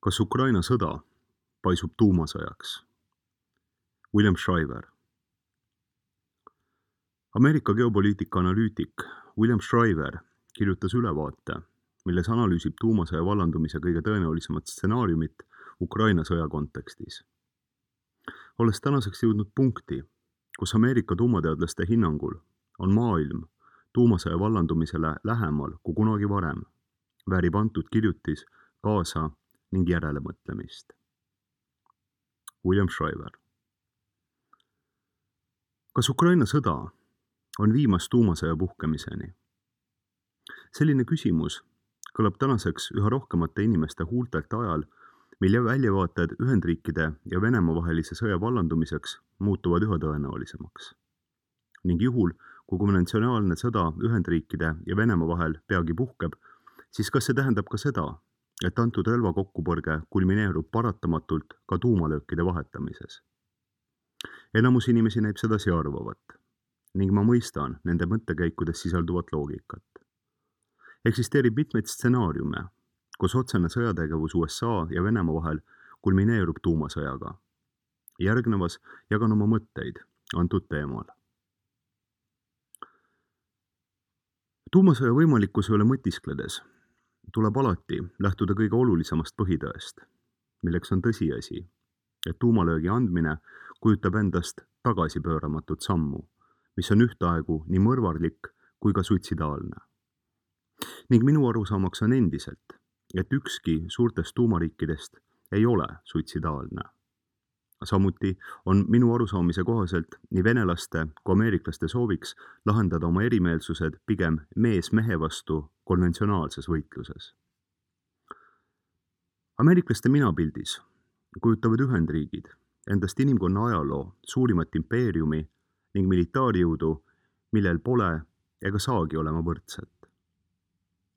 Kas Ukraina sõda paisub tuumasõjaks? William Shriver. Ameerika geopoliitika analüütik William Shriver kirjutas ülevaate, milles analüüsib tuumasõja vallandumise kõige tõenäolisemat stsenaariumit Ukraina sõja kontekstis. Olles tänaseks jõudnud punkti, kus Ameerika tuumateadlaste hinnangul on maailm tuumasõja vallandumisele lähemal kui kunagi varem, väärib antud kirjutis kaasa ning järelemõtlemist. William Shriver. Kas Ukraina sõda on viimas tuumasõja puhkemiseni? Selline küsimus kõlab tänaseks üha rohkemate inimeste huultelt ajal, mille väljavaated Ühendriikide ja Venemaa vahelise sõja vallandumiseks muutuvad üha tõenäolisemaks. Ning juhul, kui konventsionaalne sõda Ühendriikide ja Venemaa vahel peagi puhkeb, siis kas see tähendab ka seda, et antud relvakokkupõrge kulmineerub paratamatult ka tuumalöökide vahetamises? Enamus inimesi näib sedasi arvavat ning ma mõistan nende mõttekäikudes sisalduvat loogikat. Eksisteerib mitmeid stsenaariume, kus otsene sõjategevus USA ja Venemaa vahel kulmineerub tuumasõjaga. Järgnevas jagan oma mõtteid antud teemal. Tuumasõja võimalikkuse üle mõtiskledes tuleb alati lähtuda kõige olulisemast põhitõest, milleks on tõsiasi, et tuumalöögi andmine kujutab endast tagasipööramatut sammu, mis on ühtaegu nii mõrvarlik kui ka suitsidaalne. Ning minu arusaamaks on endiselt, et ükski suurtest tuumariikidest ei ole suitsidaalne. Samuti on minu arusaamise kohaselt nii venelaste kui ameeriklaste sooviks lahendada oma erimeelsused pigem mees mehe vastu konventsionaalses võitluses. Ameeriklaste minapildis kujutavad Ühendriigid endast inimkonna ajaloo suurimat impeeriumi ning militaarjõudu, millel pole ega saagi olema võrdset.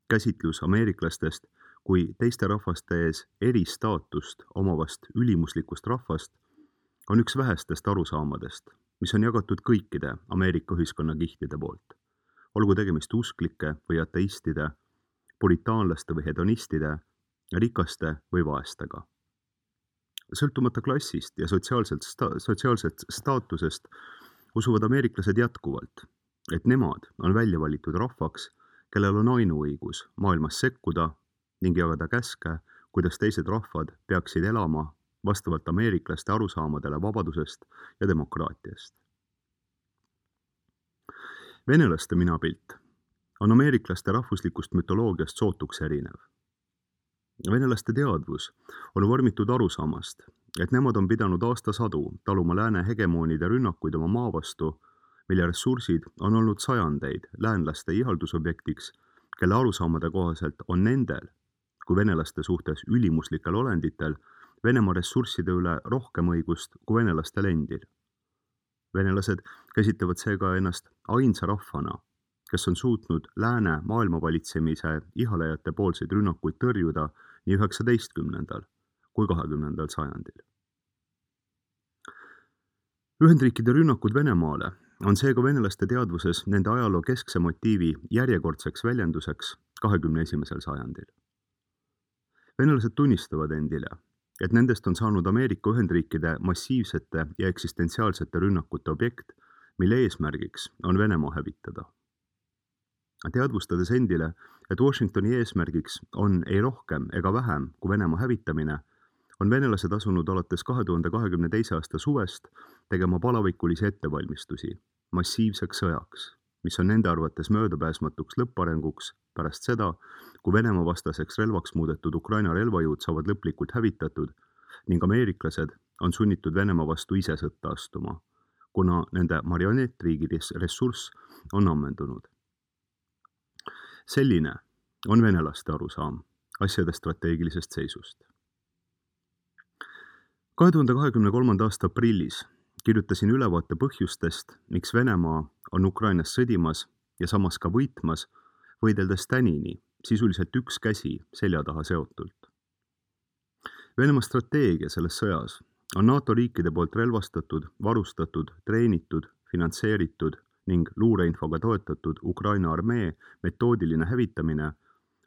Käsitlus ameeriklastest kui teiste rahvaste ees eristaatust omavast ülimuslikust rahvast on üks vähestest arusaamadest, mis on jagatud kõikide Ameerika ühiskonnakihtide poolt, olgu tegemist usklike või ateistide, puritaanlaste või hedonistide, rikaste või vaestega. Sõltumata klassist ja sotsiaalsest staatusest usuvad ameeriklased jätkuvalt, et nemad on välja valitud rahvaks, kellel on ainuõigus maailmas sekkuda ning jagada käske, kuidas teised rahvad peaksid elama vastavalt ameeriklaste arusaamadele vabadusest ja demokraatiast. Venelaste minapilt on ameeriklaste rahvuslikust mütoloogiast sootuks erinev. Venelaste teadvus on vormitud arusaamast, et nemad on pidanud aastasadu taluma lääne hegemoonide rünnakuid oma maa vastu, mille ressursid on olnud sajandeid läänlaste ihaldusobjektiks, kelle arusaamade kohaselt on nendel kui venelaste suhtes ülimuslikel olenditel Venemaa ressursside üle rohkem õigust kui venelastel endil. Venelased käsitlevad seega ennast ainsa rahvana, kes on suutnud lääne maailmavalitsemise ihalejate poolseid rünnakuid tõrjuda nii 19. kui 20. sajandil. Ühendriikide rünnakud Venemaale on seega venelaste teadvuses nende ajaloo keskse motiivi järjekordseks väljenduseks 21. sajandil. Venelased tunnistavad endile, et nendest on saanud Ameerika Ühendriikide massiivsete ja eksistentsiaalsete rünnakute objekt, mille eesmärgiks on Venemaa hävitada. Teadvustades endile, et Washingtoni eesmärgiks on ei rohkem ega vähem kui Venemaa hävitamine, on venelased asunud alates 2022. aasta suvest tegema palavikulisi ettevalmistusi massiivseks sõjaks, mis on nende arvates möödapääsmatuks lõpparenguks pärast seda, kui Venemaa vastaseks relvaks muudetud Ukraina relvajõud saavad lõplikult hävitatud ning ameeriklased on sunnitud Venemaa vastu ise sõtta astuma, kuna nende marionettriigi ressurss on ammendunud. Selline on venelaste arusaam asjade strateegilisest seisust. 2023. aasta aprillis kirjutasin ülevaate põhjustest, miks Venemaa on Ukrainas sõdimas ja samas ka võitmas, võideldes tänini sisuliselt üks käsi selja taha seotult. Venemaa strateegia selles sõjas on NATO riikide poolt relvastatud, varustatud, treenitud, finantseeritud ning luureinfoga toetatud Ukraina armee metoodiline hävitamine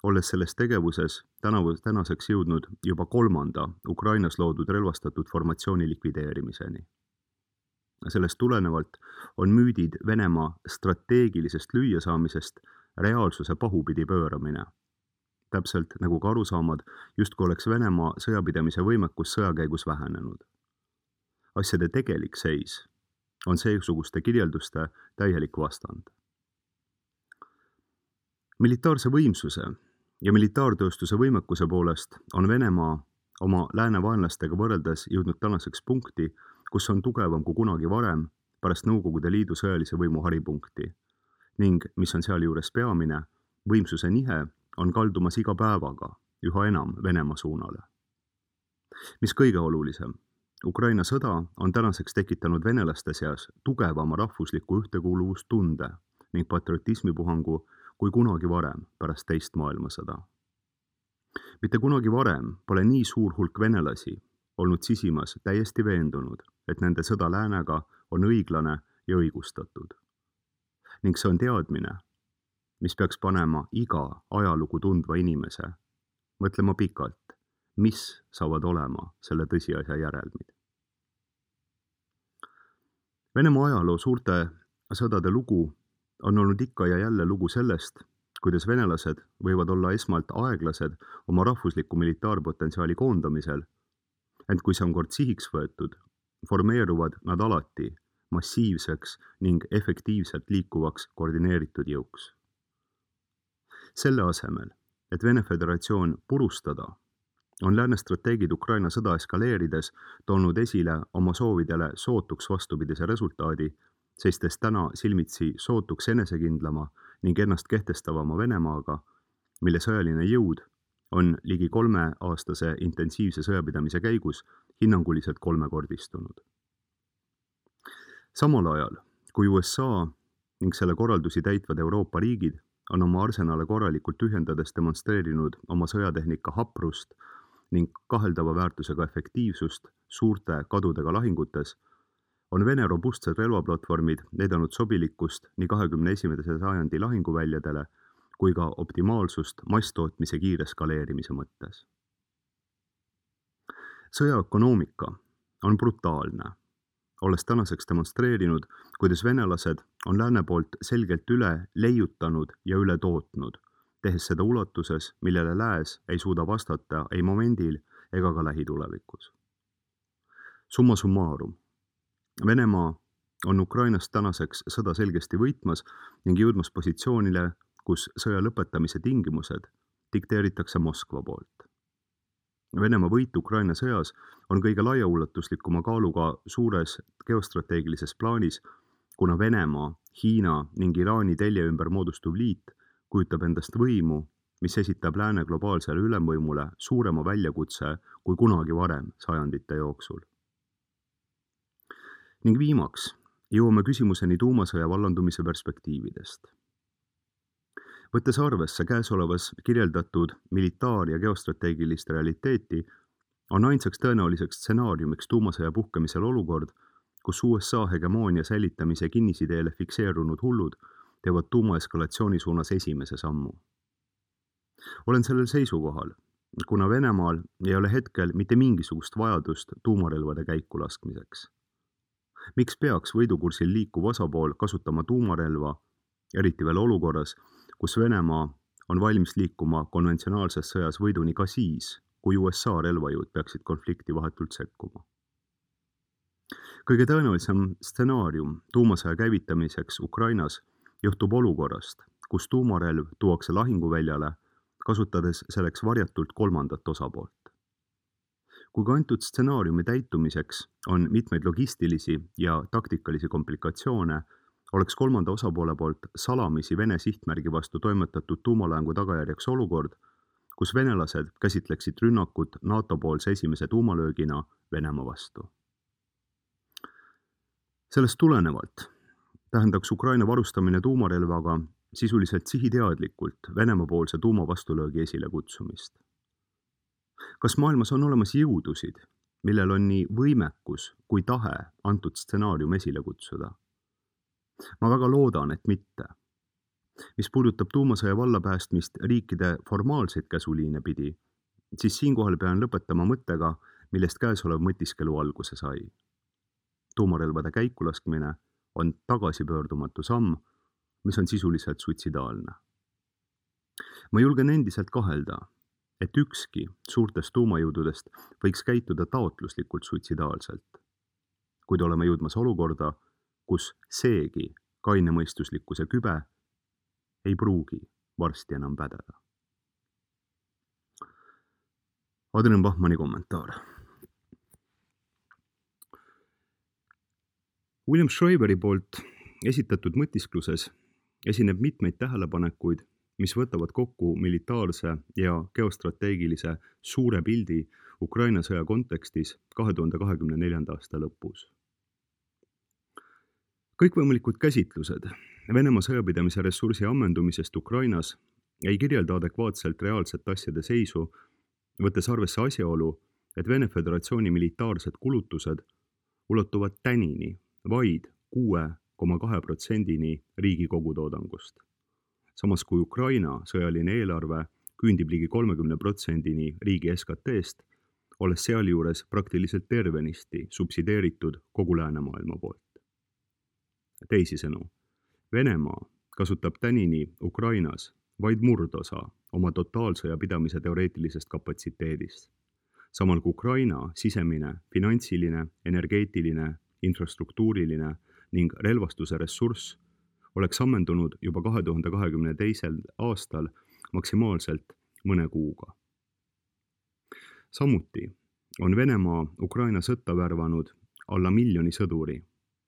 olles selles tegevuses tänaseks jõudnud juba 3. Ukrainas loodud relvastatud formatsiooni likvideerimiseni. Sellest tulenevalt on müüdid Venemaa strateegilisest lüüasaamisest reaalsuse pahupidi pööramine. Täpselt nagu ka arusaamad, justkui oleks Venemaa sõjapidamise võimekus sõja käigus vähenenud. Asjade tegelik seis on seesuguste kirjelduste täielik vastand. Militaarse võimsuse ja militaartööstuse võimekuse poolest on Venemaa oma lääne vaenlastega võrreldes jõudnud tänaseks punkti, kus on tugevam kui kunagi varem pärast Nõukogude Liidu sõjalise võimu haripunkti ning, mis on sealjuures peamine, võimsuse nihe on kaldumas iga päevaga üha enam Venemaa suunale. Mis kõige olulisem, Ukraina sõda on tänaseks tekitanud venelaste seas tugevama rahvusliku ühtekuuluvustunde ning patriotismipuhangu kui kunagi varem pärast teist maailmasõda. Mitte kunagi varem pole nii suur hulk venelasi olnud sisimas täiesti veendunud, et nende sõda läänega on õiglane ja õigustatud. Ning see on teadmine, mis peaks panema iga ajalugu tundva inimese mõtlema pikalt, mis saavad olema selle tõsiasja järelmid. Venemaa ajaloo suurte sõdade lugu on olnud ikka ja jälle lugu sellest, kuidas venelased võivad olla esmalt aeglased oma rahvusliku militaarpotentsiaali koondamisel, ent kui see on kord sihiks võetud, formeeruvad nad alati massiivseks ning efektiivselt liikuvaks koordineeritud jõuks. Selle asemel, et Vene Föderatsioon purustada, on lääne strateegid Ukraina sõda eskaleerides toonud esile oma soovidele sootuks vastupidise resultaadi, seistes täna silmitsi sootuks enesekindlama ning ennast kehtestavama Venemaaga, mille sõjaline jõud on ligi 3-aastase intensiivse sõjapidamise käigus hinnanguliselt 3-kordistunud. Samal ajal, kui USA ning selle korraldusi täitvad Euroopa riigid on oma arsenale korralikult tühjendades demonstreerinud oma sõjatehnika haprust ning kaheldava väärtusega efektiivsust suurte kadudega lahingutes, on Vene robustsed relvaplatvormid näidanud sobilikkust nii 21. sajandi lahinguväljadele kui ka optimaalsust masstootmise kiire skaleerimise mõttes. Sõjaökonoomika on brutaalne, olles tänaseks demonstreerinud, kuidas venelased on lääne poolt selgelt üle leiutanud ja üle tootnud, tehes seda ulatuses, millele lääs ei suuda vastata ei momendil ega ka lähitulevikus. Summa summarum. Venemaa on Ukrainast tänaseks sõda selgesti võitmas ning jõudmas positsioonile, kus sõja lõpetamise tingimused dikteeritakse Moskva poolt. Venemaa võit Ukraina sõjas on kõige laiaulatuslikuma kaaluga suures geostrateegilises plaanis, kuna Venemaa, Hiina ning Iraani telje ümber moodustuv liit kujutab endast võimu, mis esitab lääne globaalsele ülemvõimule suurema väljakutse kui kunagi varem sajandite jooksul. Ning viimaks jõuame küsimuseni tuumasõja vallandumise perspektiividest. Võttes arvesse käesolevas kirjeldatud militaar- ja geostrateegilist realiteeti, on ainsaks tõenäoliseks stsenaariumiks tuumasõja puhkemisel olukord, kus USA hegemoonia säilitamise kinnisideele fikseerunud hullud teevad tuumaeskalatsiooni suunas esimese sammu. Olen sellel seisukohal, kuna Venemaal ei ole hetkel mitte mingisugust vajadust tuumarelvade käiku laskmiseks. Miks peaks võidukursil liikuv osapool kasutama tuumarelva, eriti veel olukorras, kus Venemaa on valmis liikuma konventsionaalses sõjas võiduni ka siis, kui USA relvajõud peaksid konflikti vahetult sekkuma. Kõige tõenäolisem stsenaarium tuumasõja käivitamiseks Ukrainas juhtub olukorrast, kus tuumarelv tuuakse lahinguväljale, kasutades selleks varjatult kolmandat osapoolt. Kui ka antud stsenaariumi täitumiseks on mitmeid logistilisi ja taktikalisi komplikatsioone, oleks kolmanda osapoole poolt salamisi Vene sihtmärgi vastu toimetatud tuumalaengu tagajärjeks olukord, kus venelased käsitleksid rünnakut NATO-poolse esimese tuumalöögina Venemaa vastu. Sellest tulenevalt tähendaks Ukraina varustamine tuumarelvaga sisuliselt sihiteadlikult Venemaa-poolse tuumavastulöögi esile kutsumist. Kas maailmas on olemas jõudusid, millel on nii võimekus kui tahe antud stsenaarium esile kutsuda? Ma väga loodan, et mitte. Mis puudutab tuumasõja vallapäästmist riikide formaalseid käsuliine pidi, siis siinkohal pean lõpetama mõttega, millest käesolev mõtiskelu alguse sai. Tuumarelvade käikulaskmine on tagasipöördumatu samm, mis on sisuliselt suitsidaalne. Ma julgen endiselt kahelda, et ükski suurtest tuumajõududest võiks käituda taotluslikult suitsidaalselt, kuid oleme jõudmas olukorda, kus seegi kainemõistuslikkuse kübe ei pruugi varsti enam pädeda. Adrian Bachmanni kommentaar. William Schreiberi poolt esitatud mõtiskluses esineb mitmeid tähelepanekuid, mis võtavad kokku militaarse ja geostrateegilise suure pildi Ukraina sõja kontekstis 2024. aasta lõpus. Kõikvõimalikud käsitlused Venemaa sõjapidamise ressursi ammendumisest Ukrainas ei kirjelda adekvaatselt reaalset asjade seisu, võttes arvesse asjaolu, et Vene Föderatsiooni militaarsed kulutused ulatuvad tänini vaid 6,2%-ni riigi kogutoodangust. Samas kui Ukraina sõjaline eelarve küündib ligi 30%-ni riigi SKT-st, olles sealjuures praktiliselt tervenisti subsideeritud kogu läänemaailma poolt. Teisisõnu, Venemaa kasutab tänini Ukrainas vaid murdosa oma totaalsõja pidamise teoreetilisest kapatsiteedist, samal kui Ukraina sisemine, finantsiline, energeetiline, infrastruktuuriline ning relvastuse ressurss oleks ammendunud juba 2022. aastal maksimaalselt mõne kuuga. Samuti on Venemaa Ukraina sõtta värvanud alla 1 miljoni sõduri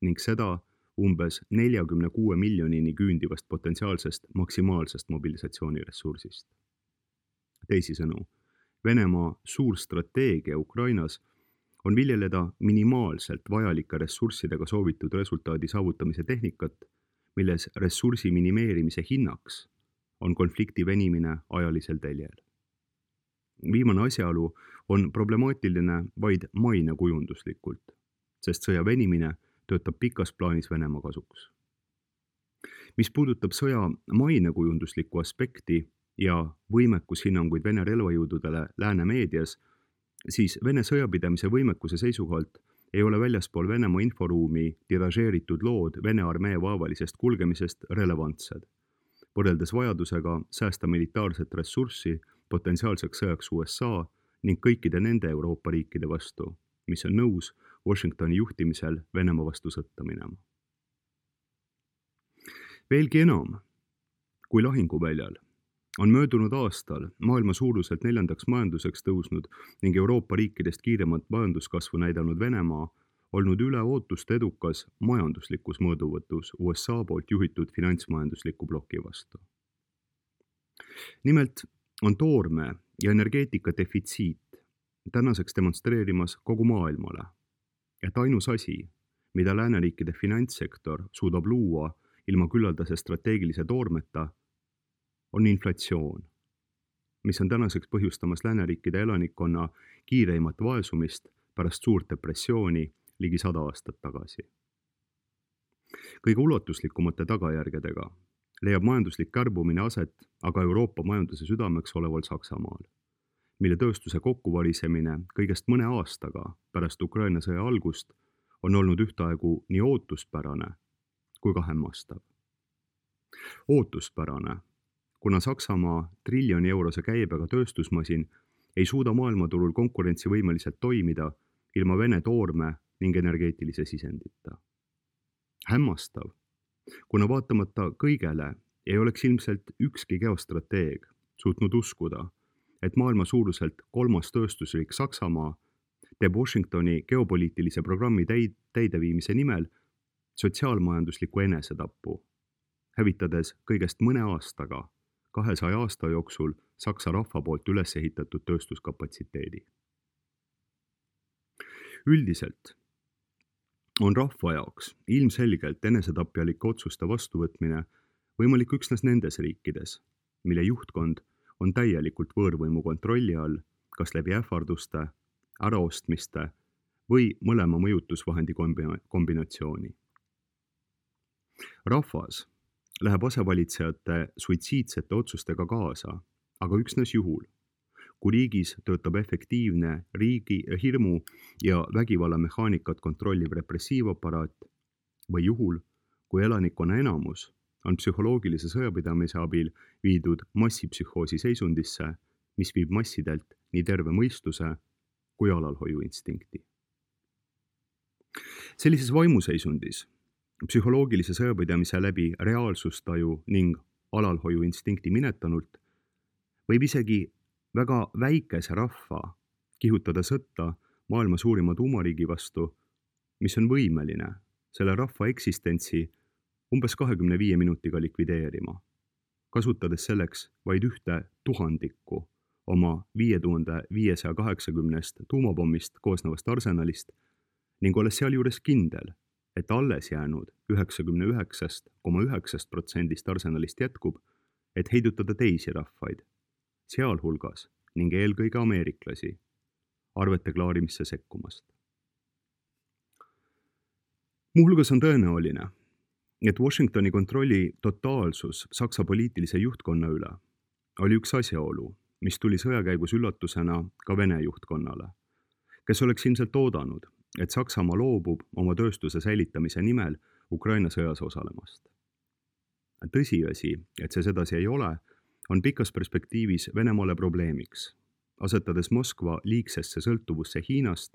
ning seda umbes 46 miljonini küündivast potentsiaalsest maksimaalsest mobilisatsiooniressursist. Teisisõnu, Venemaa suur strateegia Ukrainas on viljeleda minimaalselt vajalike ressurssidega soovitud resultaadi saavutamise tehnikat, milles ressursi minimeerimise hinnaks on konflikti venimine ajalisel teljel. Viimane asjaolu on problemaatiline vaid mainekujunduslikult, sest sõja venimine töötab pikas plaanis Venemaa kasuks. Mis puudutab sõja mainekujunduslikku aspekti ja võimekushinnanguid Vene relvajõududele lääne meedias, siis Vene sõjapidamise võimekuse seisukohalt ei ole väljaspool Venemaa inforuumi tiražeeritud lood Vene armee vaevalisest kulgemisest relevantsed, võrreldes vajadusega säästa militaarset ressurssi potentsiaalseks sõjaks USA ning kõikide nende Euroopa riikide vastu, mis on nõus Washingtoni juhtimisel Venemaa vastu sõtta minema. Veelgi enam kui lahinguväljal on möödunud aastal maailma suuruselt 4. majanduseks tõusnud ning Euroopa riikidest kiiremat majanduskasvu näidanud Venemaa olnud üle ootust edukas majanduslikus mõõduvõtus USA poolt juhitud finantsmajandusliku ploki vastu. Nimelt on toorme ja energeetika defitsiit tänaseks demonstreerimas kogu maailmale, et ainus asi, mida lääneriikide finantssektor suudab luua ilma küllaldase strateegilise toormeta, on inflatsioon, mis on tänaseks põhjustamas lääneriikide elanikkonna kiireimat vaesumist pärast suurt depressiooni ligi 100 aastat tagasi. Kõige ulatuslikumate tagajärgedega leiab majanduslik kärbumine aset aga Euroopa majanduse südameks oleval Saksamaal, mille tööstuse kokkuvarisemine kõigest mõne aastaga pärast Ukraina sõja algust on olnud ühtaegu nii ootuspärane kui ka hämmastav. Ootuspärane, kuna Saksamaa triljoni eurose käibega tööstusmasin ei suuda maailmaturul konkurentsivõimeliselt toimida ilma Vene toorme ning energeetilise sisendita. Hämmastav, kuna vaatamata kõigele ei oleks ilmselt ükski geostrateeg suutnud uskuda, et maailma suuruselt 3. tööstusriik Saksamaa teeb Washingtoni geopoliitilise programmi täideviimise nimel sotsiaalmajanduslikku enesetappu, hävitades kõigest mõne aastaga 200 aasta jooksul Saksa rahva poolt üles ehitatud tööstuskapatsiteedi. Üldiselt on rahva jaoks ilmselgelt enesetapjalike otsuste vastuvõtmine võimalik üksnes nendes riikides, mille juhtkond on täielikult võõrvõimu kontrolli all, kas läbi ähvarduste, äraostmiste või mõlema mõjutusvahendi kombinatsiooni. Rahvas läheb asevalitsejate suitsiidsete otsustega kaasa, aga üksnes juhul, kui riigis töötab efektiivne riigi hirmu ja vägivalla mehaanikat kontrolliv repressiivaparaat või juhul, kui elanikkonna enamus on psühholoogilise sõjapidamise abil viidud massipsühhoosi seisundisse, mis viib massidelt nii terve mõistuse kui alalhoiuinstinkti. Sellises vaimuseisundis, psühholoogilise sõjapidamise läbi reaalsustaju ning alalhoiuinstinkti minetanult, võib isegi väga väikese rahva kihutada sõtta maailma suurima tuumariigi vastu, mis on võimeline selle rahva eksistentsi umbes 25 minutiga likvideerima, kasutades selleks vaid 1/1000 oma 5580 tuumapommist koosnevast arsenalist ning olles sealjuures kindel, et alles jäänud 99,9% arsenalist jätkub, et heidutada teisi rahvaid, sealhulgas ning eelkõige ameeriklasi, arvete klaarimisse sekkumast. Muuhulgas on tõenäoline, et Washingtoni kontrolli totaalsus Saksa poliitilise juhtkonna üle oli üks asjaolu, mis tuli sõja käigus üllatusena ka Vene juhtkonnale, kes oleks ilmselt oodanud, et Saksamaa loobub oma tööstuse säilitamise nimel Ukraina sõjas osalemast. Tõsiasi, et see sedasi ei ole, on pikas perspektiivis Venemaale probleemiks, asetades Moskva liigsesse sõltuvusse Hiinast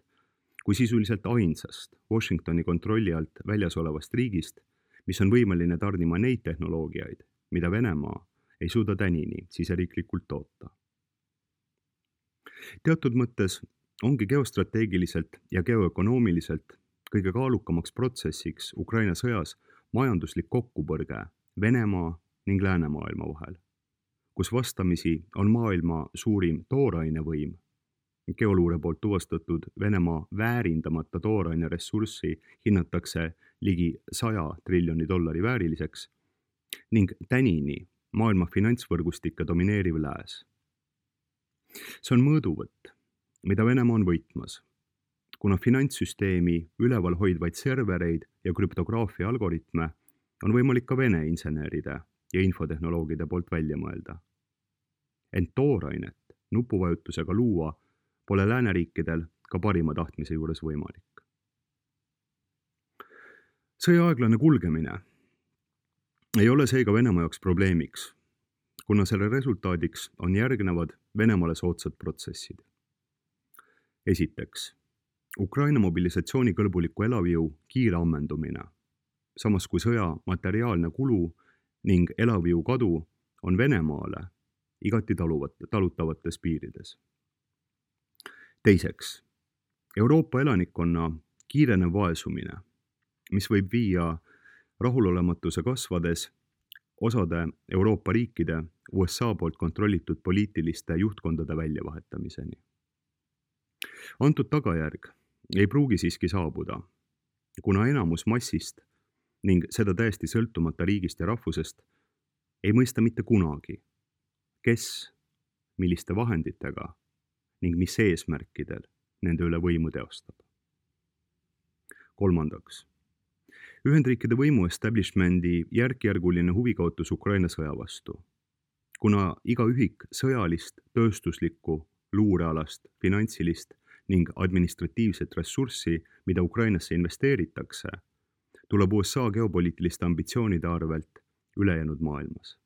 kui sisuliselt ainsast Washingtoni kontrolli alt väljas olevast riigist, mis on võimeline tarnima neid tehnoloogiaid, mida Venemaa ei suuda tänini siseriiklikult toota. Teatud mõttes ongi geostrateegiliselt ja geoökonoomiliselt kõige kaalukamaks protsessiks Ukraina sõjas majanduslik kokkupõrge Venemaa ning läänemaailma vahel, kus vastamisi on maailma suurim toorainevõim, geoluure poolt tuvastatud Venemaa väärindamata tooraine ressurssi hinnatakse ligi 100 triljoni dollari vääriliseks ning tänini maailma finantsvõrgustike domineeriv lääs. See on mõõduvõtt, mida Venemaa on võitmas, kuna finantssüsteemi üleval hoidvaid servereid ja krüptograafia algoritme on võimalik ka Vene inseneride ja infotehnoloogide poolt välja mõelda. Ent toorainet nupuvajutusega luua pole lääneriikidel ka parima tahtmise juures võimalik. Sõja aeglane kulgemine ei ole seega Venemaa jaoks probleemiks, kuna selle resultaadiks on järgnevad Venemaale soodsad protsessid. Esiteks, Ukraina mobilisatsioonikõlbuliku elavjõu kiire ammendumine, samas kui sõja materiaalne kulu ning elavjõu kadu on Venemaale igati talutavates piirides. Teiseks, Euroopa elanikkonna kiirenev vaesumine, mis võib viia rahulolematuse kasvades osade Euroopa riikide USA poolt kontrollitud poliitiliste juhtkondade väljavahetamiseni. Antud tagajärg ei pruugi siiski saabuda, kuna enamus massist ning seda täiesti sõltumata riigist ja rahvusest ei mõista mitte kunagi, kes, milliste vahenditega ning mis eesmärkidel nende üle võimu teostab. Kolmandaks, Ühendriikide võimu establishmendi järk-järguline huvikaotus Ukraina sõja vastu, kuna iga ühik sõjalist, tööstuslikku, luurealast, finantsilist ning administratiivset ressurssi, mida Ukrainasse investeeritakse, tuleb USA geopoliitiliste ambitsioonide arvelt ülejäänud maailmas.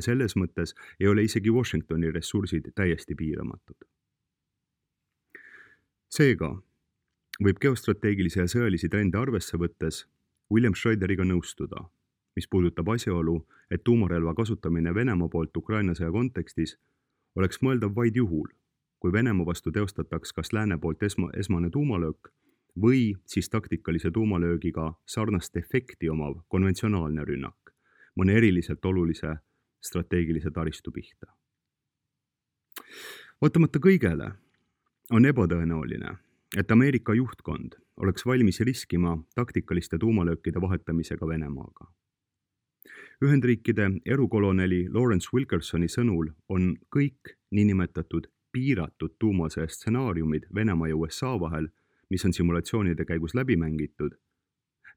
Selles mõttes ei ole isegi Washingtoni ressursid täiesti piiramatud. Seega võib geostrateegilisi ja sõjalisi trende arvesse võttes William Schroederiga nõustuda, mis puudutab asjaolu, et tuumarelva kasutamine Venemaa poolt Ukraina sõja kontekstis oleks mõeldav vaid juhul, kui Venemaa vastu teostataks kas lääne poolt esmane tuumalöök või siis taktikalise tuumalöögiga sarnast efekti omav konventsionaalne rünnak mõne eriliselt olulise strateegilise taristu pihta. Vaatamata kõigele on ebatõenäoline, et Ameerika juhtkond oleks valmis riskima taktikaliste tuumalöökide vahetamisega Venemaaga. Ühendriikide erukoloneli Lawrence Wilkersoni sõnul on kõik niinimetatud piiratud tuumasõja stsenaariumid Venemaa ja USA vahel, mis on simulatsioonide käigus läbi mängitud,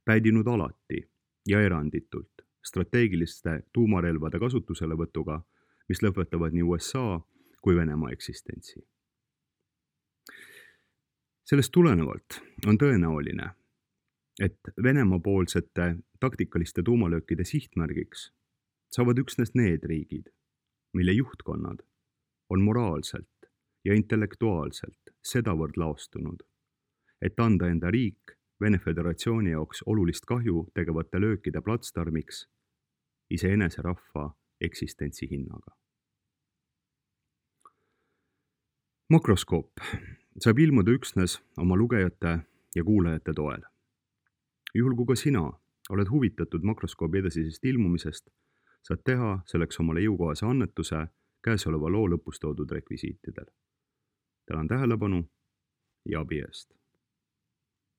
päädinud alati ja eranditult strateegiliste tuumarelvade kasutuselevõtuga, mis lõpetavad nii USA kui Venemaa eksistentsi. Sellest tulenevalt on tõenäoline, et Venemaa poolsete taktikaliste tuumalöökide sihtmärgiks saavad üksnes need riigid, mille juhtkonnad on moraalselt ja intellektuaalselt sedavõrd laostunud, et anda enda riik Vene Föderatsiooni jaoks olulist kahju tegevate löökide platsdarmiks iseenese rahva eksistentsi hinnaga. Makroskoop saab ilmuda üksnes oma lugejate ja kuulajate toel. Juhul kui ka sina oled huvitatud Makroskoobi edasisest ilmumisest, saad teha selleks omale jõukohase annetuse käesoleva loo lõpus toodud rekvisiitidel. Tänan tähelepanu ja abi eest!